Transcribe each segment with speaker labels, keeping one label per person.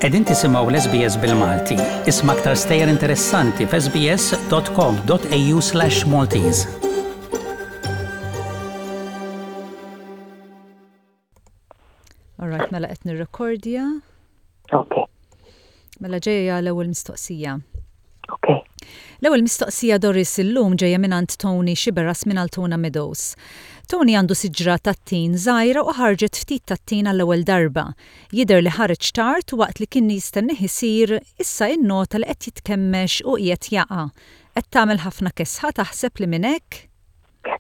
Speaker 1: Qegħdin tisimgħu l-SBS bil-Malti. Isma' aktar stejjer interessanti f'sbs.com.au/maltese.
Speaker 2: Alright, mela qed nirrekordja.
Speaker 3: Ok.
Speaker 2: Mela ġejja l-ewwel mistoqsija.
Speaker 3: Ok.
Speaker 2: L-ewwel mistoqsija Doris illum ġejja mingħand Tony Xiberras minn Altona Meadows. Tony għandu siġra tat-tin żgħira u ħarġet ftit tat-tin għall-ewwel darba. Jidher li ħareġ tard u waqt li kien jistennih isir, issa innota li qed jitkemmex u qiegħed jaqa'. Qed tagħmel ħafna kesħa taħseb li minn hekk?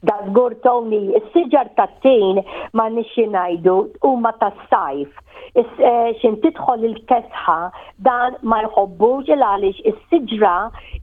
Speaker 3: Da żgur Tony, is-siġar tat-tin m'għandniex xi ngħidu huma tas-sajf. Eh, x'in tidħol il-kesħa dan ma jħobbux il għaliex is-siġra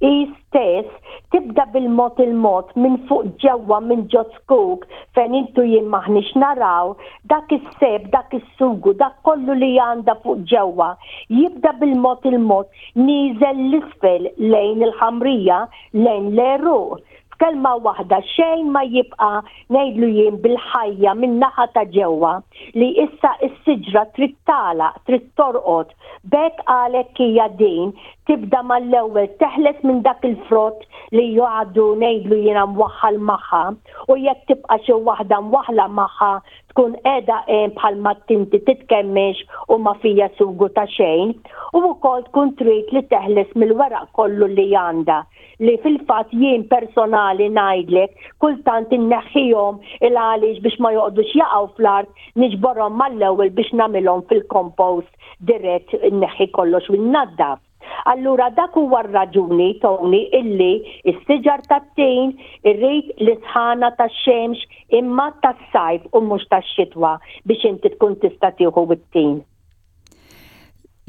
Speaker 3: hi stess tibda bil-mod il-mod minn fuq ġewwa minn ġo zkuk fejn intu jien m'aħniex naraw dak is-seb, dak is-sugu, dak kollu li għandha fuq ġewwa jibda bil-mod il-mod nieżel l-isfel lejn il-ħamrija lejn l-għeruq. F'kelma waħda xejn ma jibqa' ngħidlu jien bil-ħajja min-naħa ta' ġewwa li issa s-siġra trid tagħlaq, trid torqod. B'hekk għalhekk hija din tibda mal-ewwel teħles minn dak il-frott li għadu ngħidlu jiena mwaħħal magħha u jekk tibqa' xi waħda mwaħħla magħha tkun qiegħda hemm bħalma tinti titkemmex u ma fija sugu ta' xejn u wkoll tkun trid li teħles mill-weraq kollu li għandha. li fil-fatt jien personali ngħidlek kultant inneħħihom il għaliex biex ma joqgħodux jaqgħu fl-art niġborhom mal-ewwel biex nagħmilhom fil-compost dirett inneħħi kollox u nnaddaf. Allura dak huwa r-raġuni, Tony, illi s-siġar tat-tin irrid l-isħana tax-xemx imma tas-sajf u mhux tax-xitwa biex inti tkun tista' tieħu t-tin.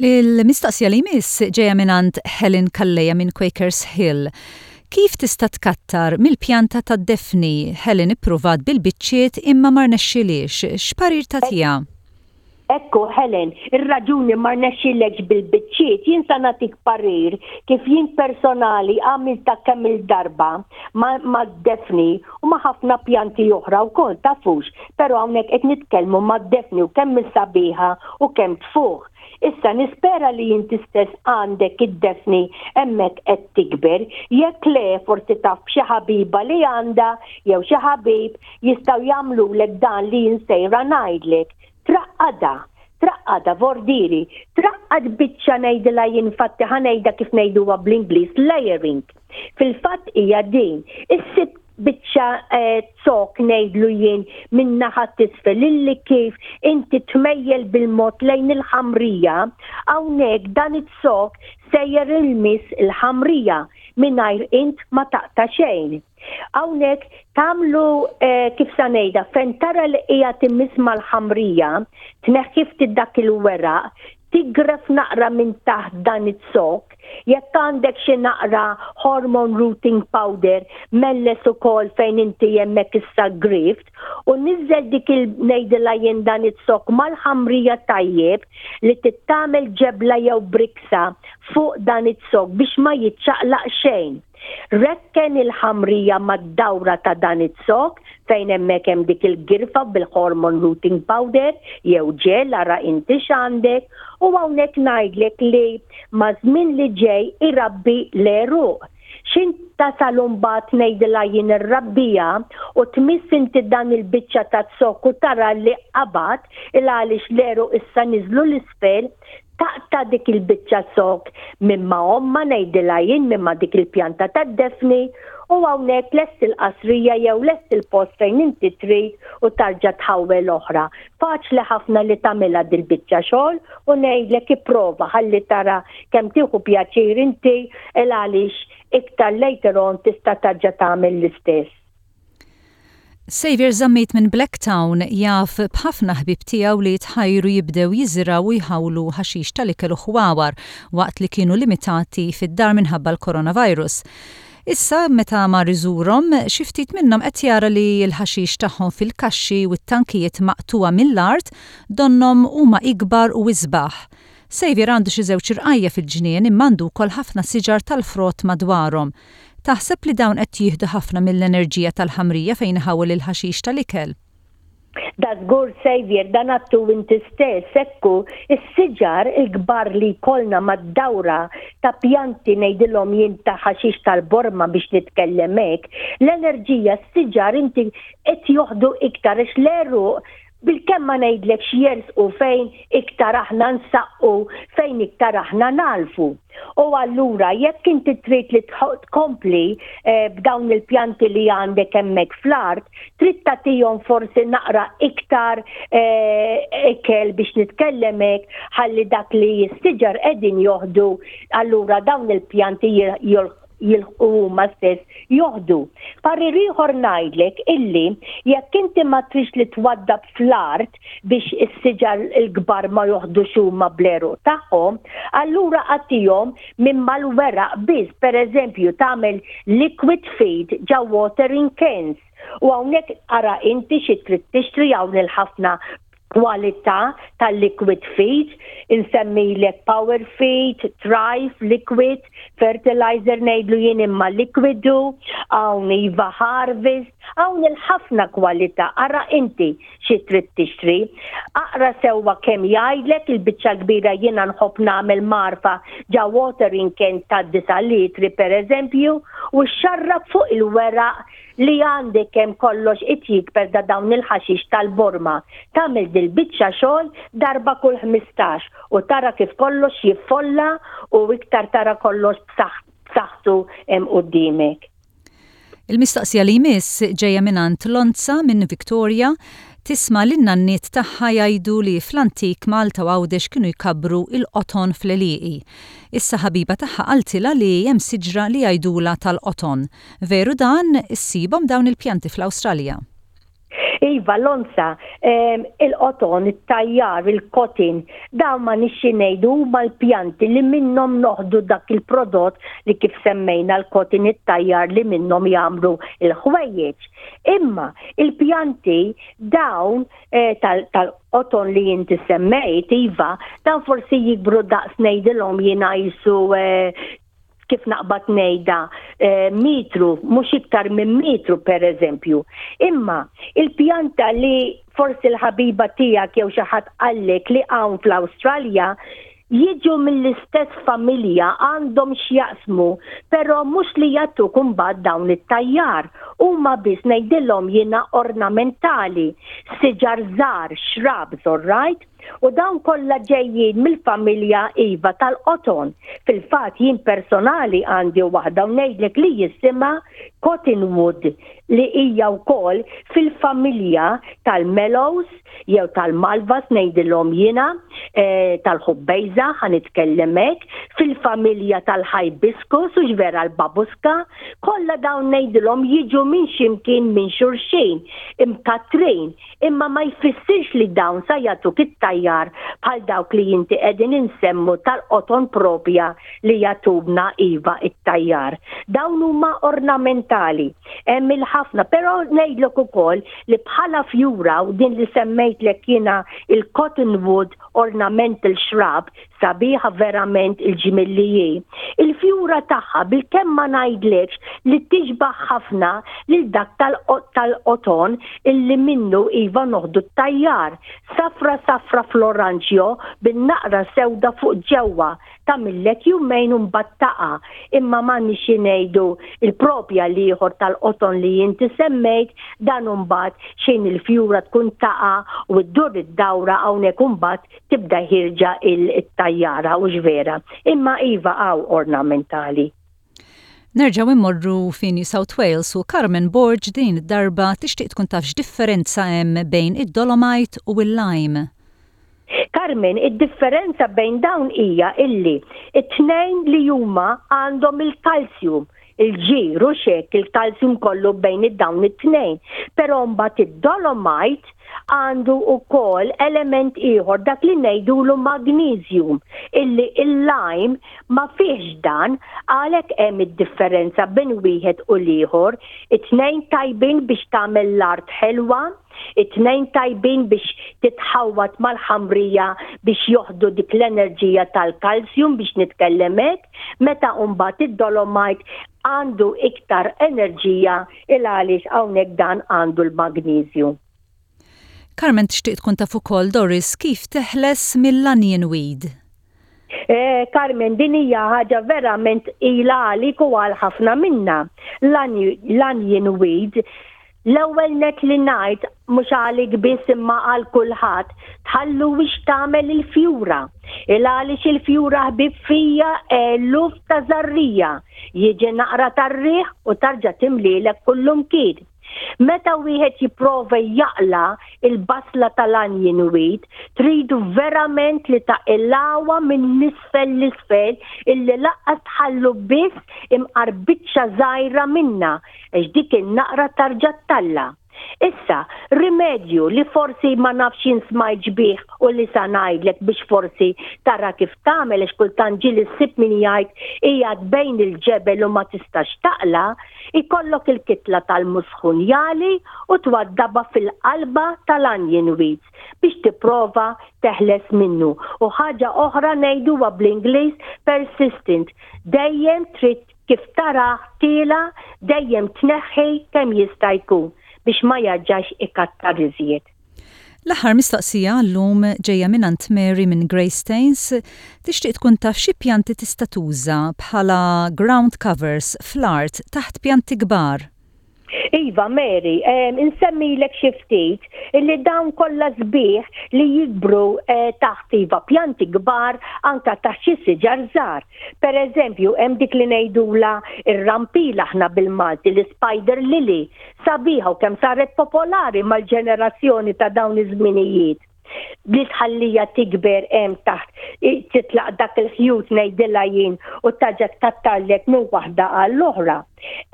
Speaker 2: Il-mistoqsija li jmiss ġejja mingħand Helen Calleja minn Quakers Hill. Kif tista' tkattar mill-pjanta tad-Daphne? Helen ippruvat bil-biċċiet imma ma rnexxilhiex. X'parir tagħtiha?
Speaker 3: Ekku Helen, ir-raġuni ma rnexxilekx bil-biċċiet, jien sa nagħtik parir kif jien personali għamiltha kemm-il darba mad-Daphne u ma' ħafna pjanti oħra wkoll tafux. Però hawnhekk qed nitkellmu mad-Daphne u kemm hi sabiħa u kemm tfuħ. Issa nispera li inti stess għandek id-Daphne hemmhekk qed tikber. Jekk le forsi taf b'xi ħabiba li għandha jew xi ħabib jistgħu jagħmlulek dan li jien sejra ngħidlek. Traqqadha. Traqqadha, vordieri. Traqqad biċċa ngħidilha jien infatti ħa ngħidha kif ngħiduha bl-Ingliż layering. Fil-fatt hija din. Issib biċċa zokk ngħidlu jien min-naħa t'isfel illi kif inti tmejjel bil-mod lejn il-ħamrija, hawnhekk dan iz-zokk sejjer ilmiss il-ħamrija mingħajr int ma taqta' xejn. Hawnhekk tagħmlu kif sa ngħidha fejn tara li qiegħed imiss mal-ħamrija, tneħħi ftit dak il-weraq, Tigref naqra minn taħt dan iz-zokk, jekk għandek xi naqra hormone rooting powder melles ukoll fejn inti hemmhekk issa grift u niżżel dik il ngħidilha jien dan iz-zokk mal-ħamrija tajjeb li tittamel ġebla jew briksa fuq dan iz-zokk biex ma jiċċaqlaq xejn. Rekken il-ħamrija mad-dawra ta' dan iz-zokk fejn hemmhekk hemm dik il-girfa bil-hormone rooting powder jew ġel ara inti x'għandek u hawnhekk ngħidlek li maż-żmien li ġej irabbi l-għeruq. X'int tasal imbagħad ngħidilha jien irrabbija u tmiss inti dan il-biċċa ta' zokk u tara li qabad il għaliex l-għeruq issa niżlu 'l isfel, Taqta' dik il-biċċa zokk minn ma' ommha ngħidilha jien minn ma' dik il-pjanta tad-Daphne u hawnhekk lest il-qasrija jew lest il-post fejn inti trid u tarġa' tħawwel oħra. Faċli ħafna li tagħmilha dil-biċċa xogħol u ngħidlek ipprova ħalli tara kemm tieħu pjaċir inti il għaliex iktar later on tista' tarġa' tagħmel l-istess.
Speaker 2: Saviour Zammit minn Blacktown jaf b'ħafna ħbieb tiegħu li tħajru jibdew jiżirgħu u jħawlu ħaxix tal-ikel u ħwawar waqt li kienu limitati fid-dar minħabba l-coronavirus. Issa meta mar iżurhom, xi ftit minnhom qed jara li l-ħaxix tagħhom fil-kaxxi u t-tankijiet maqtugħa mill-art donnhom huma ikbar u isbaħ. Saviour għandu xi żewġ irqajja' fil-ġnien imma għandu wkoll ħafna siġar tal-frott madwarhom. Taħseb li dawn qed jieħdu ħafna mill-enerġija tal-ħamrija fejn iħawwel il-ħaxix tal-ikel?
Speaker 3: Da żgur Saviour, dan għadtu inti stess, ekku, is-siġar il-kbar li jkollna mad-dawra ta' pjanti ngħidilhom jien ta' ħaxix tal-borma biex nitkellem hekk, l-enerġija s-siġar inti qed joħdu iktar għax l-għeruq bilkemm ma ngħidlekx jersqu fejn iktar aħna nsaqqu, fejn iktar aħna nagħlfu. U allura jekk inti trid li tkompli eh, b'dawn il-pjanti li għandek hemmhekk fl-art, trid tagħtihom forsi naqra iktar eh, ikel biex nitkellem hekk ħalli dak li s-siġar qegħdin joħdu allura dawn il-pjanti jilħqu huma stess joħdu. Parir ieħor ngħidlek illi jekk inti ma trix li twaddab fl-art biex is-siġar il-kbar ma joħdux huma bl-għeruq tagħhom, allura agħtihom minn mal-weraq biss, pereżempju tagħmel liquid feed ġa watering cans. U hawnhekk ara inti xi trid tixtri hawn il-ħafna kwalità tal-liquid feed, insemmilek power feed, thrive, liquid, fertilizer ngħidlu jien imma likwidu, hawn iva harvest, hawn il-ħafna kwalità, ara inti xi trid tixtri. Aqra sewwa kemm jgħidlek il-biċċa l-kbira jiena nħobb nagħmel mgħarfa ġa watering can ta' 9 litri pereżempju u xxarrab fuq il-weraq li għandek kemm kollox qed jikber da dawn il-ħaxix tal-borma. Tagħmel dil-biċċa xogħol darba kull 15 u tara kif kollox jiffolla u iktar tara kollox b'saħħtu hemm quddiemek.
Speaker 2: Il-mistoqsija li jmiss ġejja mingħand Lonza minn Victoria. Tisma' lin-nanniet tagħha jgħidu li fl-antik Malta u Għawdex kienu jkabbru l-qoton fl-għelieqi. Issa ħabiba tagħha qaltilha li hemm siġra li jgħidulha tal-qoton. Veru dan? Issibhom dawn il-pjanti fl-Awstralja?
Speaker 3: Iva, l-onza, il-qoton, it-tajjar, il-kotin, dawn ma nixxi ngħidu huma l-pjanti li minnhom noħdu dak il-prodott li kif semmejna l-kotin it-tajjar li minnhom jagħmlu l-ħwejjeġ. Imma il-pjanti dawn eh, tal-qoton li inti semmejt, iva, dawn forsi jikbru daqs ngħidilhom jiena jisu eh, kif naqbad ngħidha eh, mitru, mhux iktar minn mitru pereżempju. Imma il-pjanta li forsi l-ħabiba tiegħek jew xi ħadd qallek li hawn fl-Awstralja jiġu mill-istess familja għandhom x'jaqsmu, però mhux li jagħtuk imbagħad dawn it-tajjar. Huma biss ngħidilhom jiena ornamentali, siġar żgħar, shrubs, all right? U dawn kollha ġejjin mill-familja iva tal-qoton. Fil-fatt jien personali għandi waħda u ngħidlek li jisimha Cottonwood li hija wkoll fil-familja tal-Mellows jew tal-Malvas ngħidilhom jiena, eh, tal-ħubbejża ħa nitkellem hekk, fil-familja tal-hibiscus u vera l-babuska, kollha dawn ngħidilhom jiġu minn ximkien minn xulxin, imkatrin Imma ma jfissirx li dawn sa jagħtuk it-tajjar bħal dawk li inti qegħdin insemmu tal-qoton propja li jagħtuna iva it-tajjar. Dawn huma ornamentali. Hemm il-ħafna, però ngħidlek ukoll li bħala fjura u din li semmejtlek jiena il-cottonwood ornamental shrub Sabiħa verament il-ġmiel li hi. Il-fjura tagħha bilkemm ma ngħidlekx li tixbah ħafna lil dak tal-qoton illi minnu iva noħdu t-tajjar. Safra safra fl-oranġjo bin-naqra sewda fuq ġewwa. Tagħmillek jumejn u mbagħad taqa'. Imma m'għandniex xi ngħidu il-propja l-ieħor tal-qoton li inti semmejt dan imbagħad xejn il-fjura tkun taqa' u ddur id-dawra hawnhekk imbagħad tibda ħierġa il-tajjara hux vera. Imma iva hawn ornamentali.
Speaker 2: Nerġgħu immorru fi New South Wales u Carmen Borg din id-darba tixtieq tkun taf x'differenza hemm bejn id-dolomite u l-lime.
Speaker 3: Carmen, id-differenza bejn dawn hija illi it-tnejn li huma għandhom il-kalsjum, il-ġir u xek il-kalsjum kollu bejn id-dawn it-tnejn. Però mbagħad id-dolomite għandu wkoll element ieħor dak li ngħidulu magnesium illi il-lime ma fihx dan għalhekk hemm id-differenza bejn wieħed u l-ieħor. It-tnejn tajbin biex tagħmel l-art ħelwa, it-tnejn tajbin biex titħawwad mal-ħamrija biex joħdu dik l-enerġija tal-kalsjum biex nitkellem hekk, meta mbagħad id-dolomite għandu iktar enerġija il għaliex hawnhekk dan għandu l-magnesium.
Speaker 2: Carmen tixtieq tkun taf ukoll Doris kif teħles mill-onion weed.
Speaker 3: Eh, Carmen, din hija ħaġa verament tqila għalik u għal ħafna minna. L-onion weed L-ewwel nett li ngħid, mhux għalik biss imma għal kulħadd, tħalluhiex tagħmel il-fjura. Il għaliex il-fjura ħbieb fija eluf ta' żarrija. Jiġi naqra tar-riħ u tarġa' timlielek kullumkien. Meta wieħed jipprova jaqla' il-basla tal-onion weed, tridu verament li taqilgħuha minn l-isfel l-isfel illi laqqas tħallu biss imqar biċċa żgħira minnha għax dik in-naqra tarġa' ttalla'. Issa, rimedju li forsi ma nafx jien smajtx bih u li sa ngħidlek biex forsi tara kif tagħmel għax kultant ġieli ssib min jgħid qiegħed bejn il-ġebel u ma tistax taqla', ikollok il-kitla tal-musħun jagħli u twaddabha fil-qalba tal-onion weeds biex tipprova teħles minnu. U ħaġa oħra ngħiduha bl-Ingliż persistent, dejjem trid Kif tarah tiela' dejjem tneħħi kemm jista' jkun biex ma jarġax ikattar iżjed.
Speaker 2: L-aħħar mistoqsija għal-lum ġejja mingħand Mary minn Greystanes, tixtieq tkun taf xi pjanti tista' tuża bħala ground covers fl-art taħt pjanti kbar.
Speaker 3: Iva, Mary, insemmilek xi ftit illi dawn kollha sbieħ li jikbru eh, taħt iva pjanti kbar anka taħt xi siġar żgħar. Per eżempju, hemm dik li ngħidula ir-rampila aħna bil-Malti, l-spider lily, sabiħa u kemm saret popolari mal-ġenerazzjoni ta' dawn iż-żminijiet. li tħallija tikber hemm taħt titlaq dak il-ħjut ngħidilha jien u taġa tkattarlek minn waħda għall-oħra.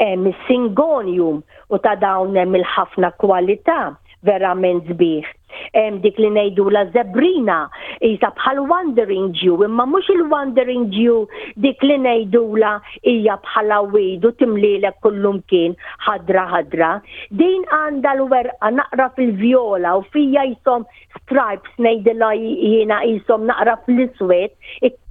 Speaker 3: Hemm is-singonium u ta' dawn hemm il-ħafna kwalità verament sbieħ. Hemm dik li ngħidula zebrina, isa bħal wandering Jew, imma mhux il-wandering Jew dik li ngħidula hija bħala weed u timlielek kullumkien ħadra ħadra. Din għandha l-werqa naqra fil-vjola u fija jisom stripes ngħidilha jiena jisom naqra fl-iswed,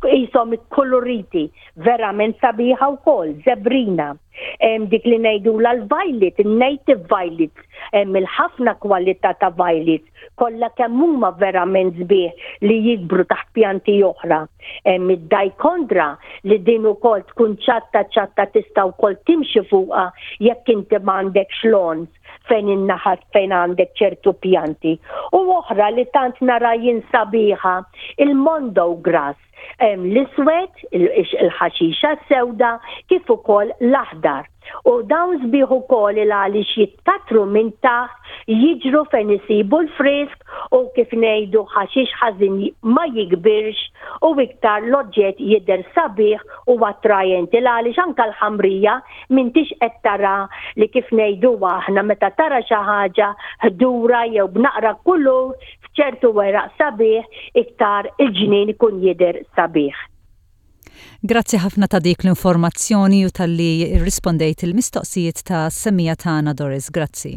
Speaker 3: jisom ikkuluriti, verament sabiħa wkoll, zebrina. Hemm dik li ngħidulha l-violet, il-native violets, hemm il-ħafna kwalità ta' violets, kollha kemm huma verament sbieħ li jikbru taħt pjanti oħra. Hemm id-dajkondra li din ukoll tkun ċatta ċatta tista' wkoll timxi fuqha jekk inti m'għandekx lawns fejn in-naħat fejn għandek ċertu pjanti. U oħra li tant nara jien sabiħa, il-mondo grass. Hemm l-iswed, il-ħaxixa s-sewda, kif ukoll l-aħdar. U dawn sbieħ ukoll il għaliex jitkatru minn taħt, jiġru fejn isibu l-frisk u kif ngħidu ħaxix ħażin ma jikbirx u iktar l-oġġett jidher sabiħ u attrajenti il għaliex anke l-ħamrija m'intix qed tara li kif ngħidu aħna meta tara xi ħaġa ħdura jew b'naqra kulur f'ċertu weraq sabiħ iktar il-ġnien ikun jidher sabiħ.
Speaker 2: Grazzi ħafna ta' dik l-informazzjoni u talli rrispondejt il-mistoqsijiet ta' semmija tagħna Doris. Grazzi.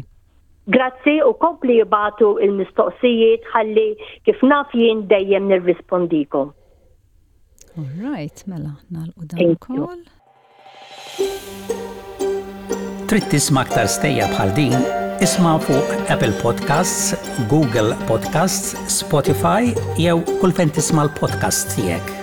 Speaker 3: Grazzi u kompli ibagħtu il-mistoqsijiet ħalli kif naf jien dejjem nirrispondikom.
Speaker 2: All right, mela nagħlqu dan ukoll.
Speaker 1: Trid tisma' aktar stejjer bħal din? Isma' fuq Apple Podcasts, Google Podcasts, Spotify jew kull fejn tisma' l-podcasts tiegħek.